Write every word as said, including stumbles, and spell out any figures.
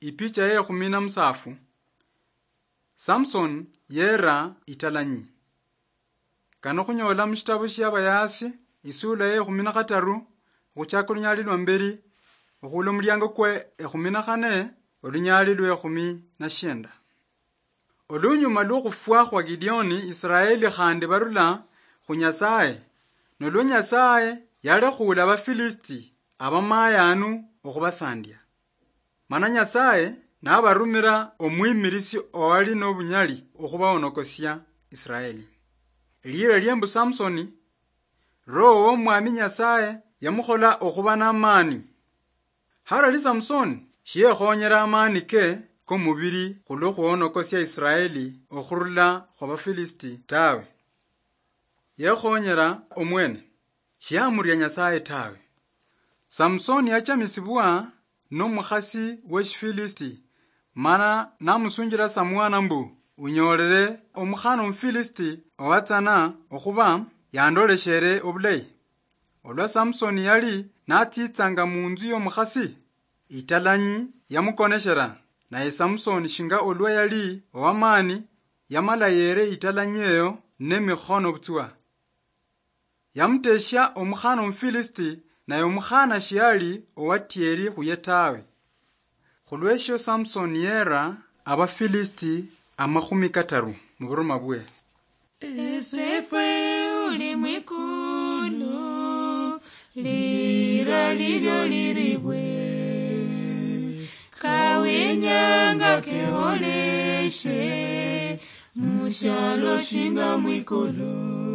Ipicha ye ekhumi na musafu. Samson yera italanyi. Kano khunyola mushitabu shia Abayaasi, isula ye ekhumi na khataru, okhuchaka olunyali lwa mberi, okhula omuliango kwe ekhumi na khane, olunyali lwe ekhumi na shienda. Olunyuma lwokhufwa khwa Gideoni, Israeli khandi barula khu Nyasaye, nolwo Nyasaye yalekhuula Abafilisiti abamayanu okhubasandia. Mana Nyasaye nabarumira omwimirisi owali nobunyali okhubahonokosia Israeli. Eliira lie mbu Samsoni, Roho w'Omwami Nyasaye yamukhola okhuba n'amaani. Harali Samsoni shiyekhonyera amaani ke komubiri khulwo khuhonokosia Israeli okhurula khwabafilisiti tawe. Yekhonyera omwene, shiyamuria Nyasaye tawe. Samsoni yachamisibwa nomukhasi weshifilisiti, mana namusunjira Samwana mbu, "Unyoolere omukhana omufilisiti owatsana okhuba yandoleshere obulayi." Olwa Samsoni yali natsitsanga munzu yomukhasi, italanyi yamukoneshera, naye Samsoni shinga olwa yali owamaani, yamala yere italanyi eyo nemikhono butswa. Yamuteshia omukhana omufilisiti, naye omukhana shiali owatieri khuye tawe. Khulweshio Samsoni yera Abafilisiti amakhumi kataru muburuma bwe. Esefwe uli mwikulu, lira lilyo liribwe, kawenyanga keholeshe mushalo shinga mwikulu.